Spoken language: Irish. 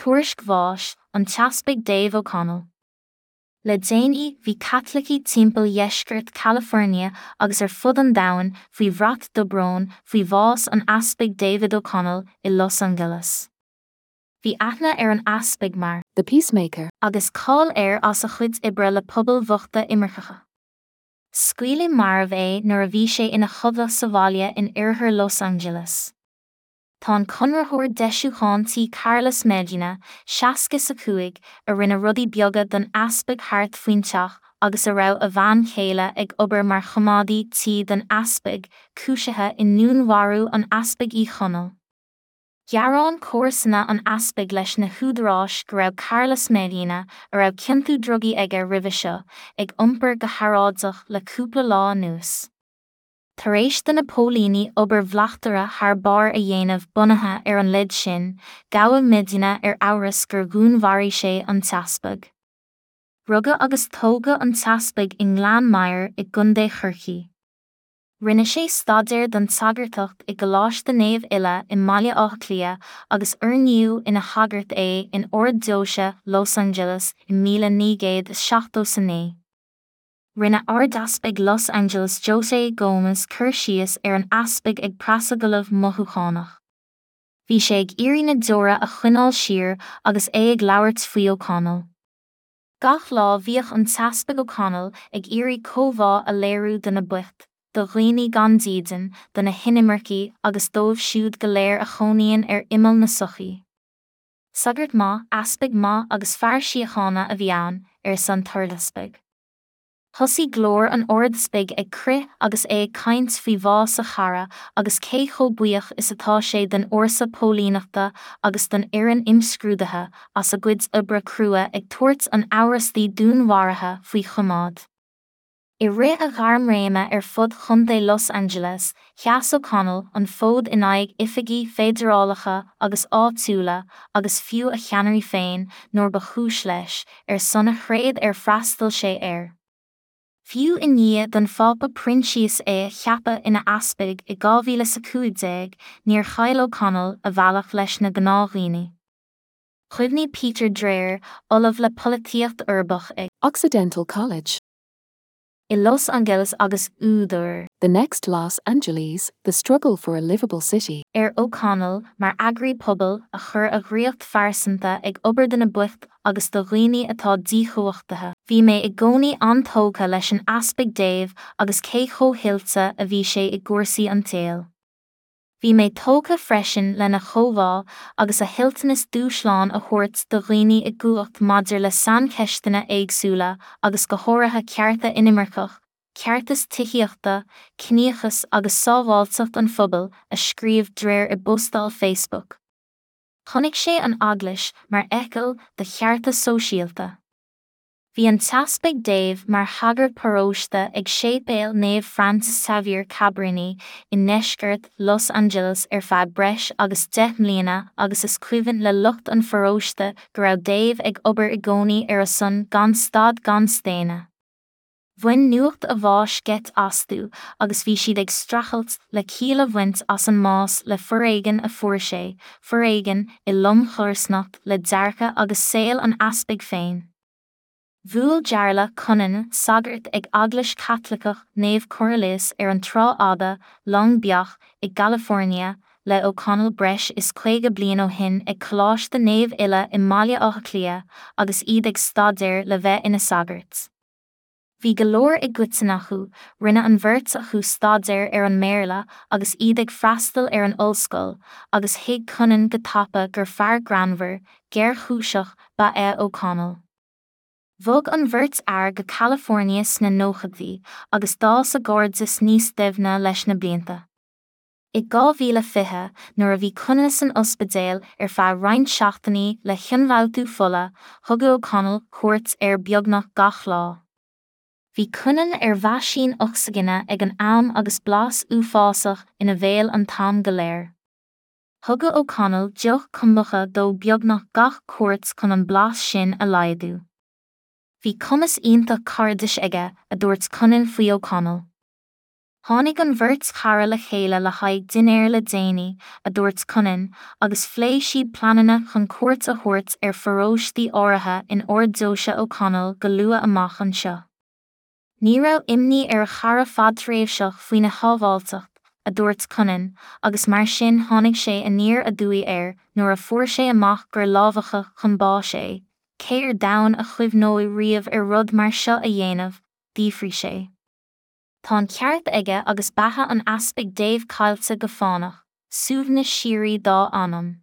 Tuairisc bháis an tEaspag Dave O'Connell. Le déanaí bhí Caitlicigh timpeall dheisceart California agus ar fud an domhain faoi bhrat dobróin faoi bhás an Easpaig David O'Connell i Los Angeles. Bhí aithne ar an Easpag mar. The Peacemaker. Agus cáil air as a chuid oibre le pobail bhochta imirceacha. Scaoileadh marbh é nuair a bhí sé ina chodladh sa bhaile in oirthear Los Angeles. Tá an conraitheoir deisiúcháin tí Carlos Medina, 65, a rinne rudaí beaga don easpag thart faoin teach agus a raibh a bhean chéile ag obair mar choimeádaí tí don easpag, cúisithe i ndúnmharú an Easpaig Uí Chonaill. Ghearáin comharsana an easpaig leis na húdaráis go raibh Carlos Medina, a raibh ciontú drugaí aige roimhe seo, ag iompar go hearráideach le cúpla lá anuas. Tar éis do na póilíní obair bhleachtaire thar barr a dhéanamh bunaithe ar an leid sin, gabhadh Medina ar amhras gur dhúnmharaigh sé an t-easpag. Rugadh agus tógadh an t-easpag i nGleann Maghair i gContae Chorcaí. Rinne sé staidéar don tsagartacht i gColáiste Naomh Illa i mBaile Átha Cliath agus oirníodh ina shagart é in Ard-Deoise Los Angeles i 1979. Rinne Ardeaspag Los Angeles José Gomez cur síos ar an easpag ag preasagallamh mothúchánach. Bhí sé ag iarraidh na deora a choinneáil siar agus é ag labhairt faoi O'Connell. Gach lá bhíodh an tEaspag O'Connell ag iarraidh comhbhá a léiriú do na boicht, do dhaoine gan dídean, do na hinimircigh agus dóibh siúd go léir a chónaíonn ar imeall na sochaí. Sagart maith, easpag maith agus fear síochána a bhí ann, arsa an tArdeaspag. Thosaigh glór an Ardeaspaig ag crith agus é ag caint faoi bhás a chara agus cé chomh buíoch is atá sé den fhórsa póilíneachta agus don fhoireann imscrúdaithe as a gcuid oibre crua ag tabhairt an amhrastaí dúnmharaithe faoi choimeád. I rith a ghairmréime ar fud Chontae Los Angeles, sheas O'Connell an fód in aghaidh oifigigh feidearálacha agus áitiúla agus fiú a cheannairí féin nuair ba chúis leis, ar son a thréad ar freastail sé air. Fiú i ndiaidh don Phápa Proinsias é a cheapadh ina easpag i 2015, níor chaill O'Connell a bhealach leis na gnáthdhaoine. Chuimhnigh Peter Dreher, ollamh le polaitíocht uirbeach ag. Occidental College. I Los Angeles agus údar. The Next Los Angeles, The Struggle for a Livable City. Ar O'Connell mar eagraí pobail a chuir a dhraíocht phearsanta ag obair do na boicht agus do dhaoine atá díchumhachtaithe. Bhí mé i gcónaí an-tógtha leis an Easpag Dave agus cé chomh hoilte a bhí sé i gcúrsaí an tsaoil. Bhí mé tógtha freisin lena chomhbhá agus a thoilteanas dúshlán a thabhairt do dhaoine i gcumhacht maidir le saincheisteanna éagsúla agus go háirithe cearta inimirceach, ceartas tithíochta, ciníochas agus sábháilteacht an phobail, a scríobh Dreher i bpostáil Facebook. Chonaic sé an Eaglais mar fheithicil do chearta sóisialta. Bhí an tEaspag Dave mar shagart paróiste ag Séipéal Naomh Francis Xavier Cabrini i ndeisceart Los Angeles ar feadh breis agus 10 mbliana agus is cuimhin le lucht an pharóiste go raibh Dave ag obair i gcónaí ar a son gan stad gan staonadh. Bhain nuacht a bháis geit astu agus bhí siad ag streachailt le ciall a bhaint as an mbás le foréigean a fuair sé, foréigean i lomchodarsnacht le dearcadh agus saol an easpaig féin. Bhuail Jarlath Cunnane, sagart ag Eaglais Chaitliceach Naomh Cornelius ar an Trá Fhada, Long Beach, i gCalifornia, le O'Connell breis is 50 bliain ó shin ag Coláiste Naomh Illa i mBaile Átha Cliath agus iad ag staidéar le bheith ina sagairt. Bhí go leor i gcoiteann acu, rinne an bheirt acu staidéar ar an mBéarla agus iad ag freastal ar an ollscoil, agus thuig Cunnane go tapa gur fear greannmhar, géarchúiseach ba ea O'Connell. Bhog an bheirt fhear go California sna nóchaidí agus d'fhás a gcairdeas níos doimhne leis na blianta. I 2020, nuair a bhí Cunnane san ospidéal ar feadh roinnt seachtainí le hionfhabhtú fola, thugadh O'Connell cuairt air beagnach gach lá. Bhí Cunnane ar mheaisín ocsaigine ag an am agus blas uafásach ina bhéal an t-am go léir. Thugadh O'Connell deoch kombucha dó beagnach gach cuairt chun an blas sin a laghdú. Bhí cumas iontach cairdis aige, a dúirt Cunnane faoi O'Connell. Tháinig an bheirt chara le chéile le haghaidh dinnéir le déanaí, a dúirt Cunnane, agus phléigh siad pleananna chun cuairt a thabhairt ar pharóistí áirithe in Ard-Deoise O'Connell go luath amach anseo. Ní raibh imní ar a chara fadtréimhseach faoina shábháilteacht, a dúirt Cunnane, agus mar sin tháinig sé aniar aduaidh air nuair a fuair sé amach gur lámhachadh chun báis é. Cé ar domhan a chuimhneoidh riamh ar rud mar seo a dhéanamh? d'fhiafraigh sé. Tá an ceart aige agus beatha an Easpaig Dave caillte go fánach, suaimhneas síoraí dá anam.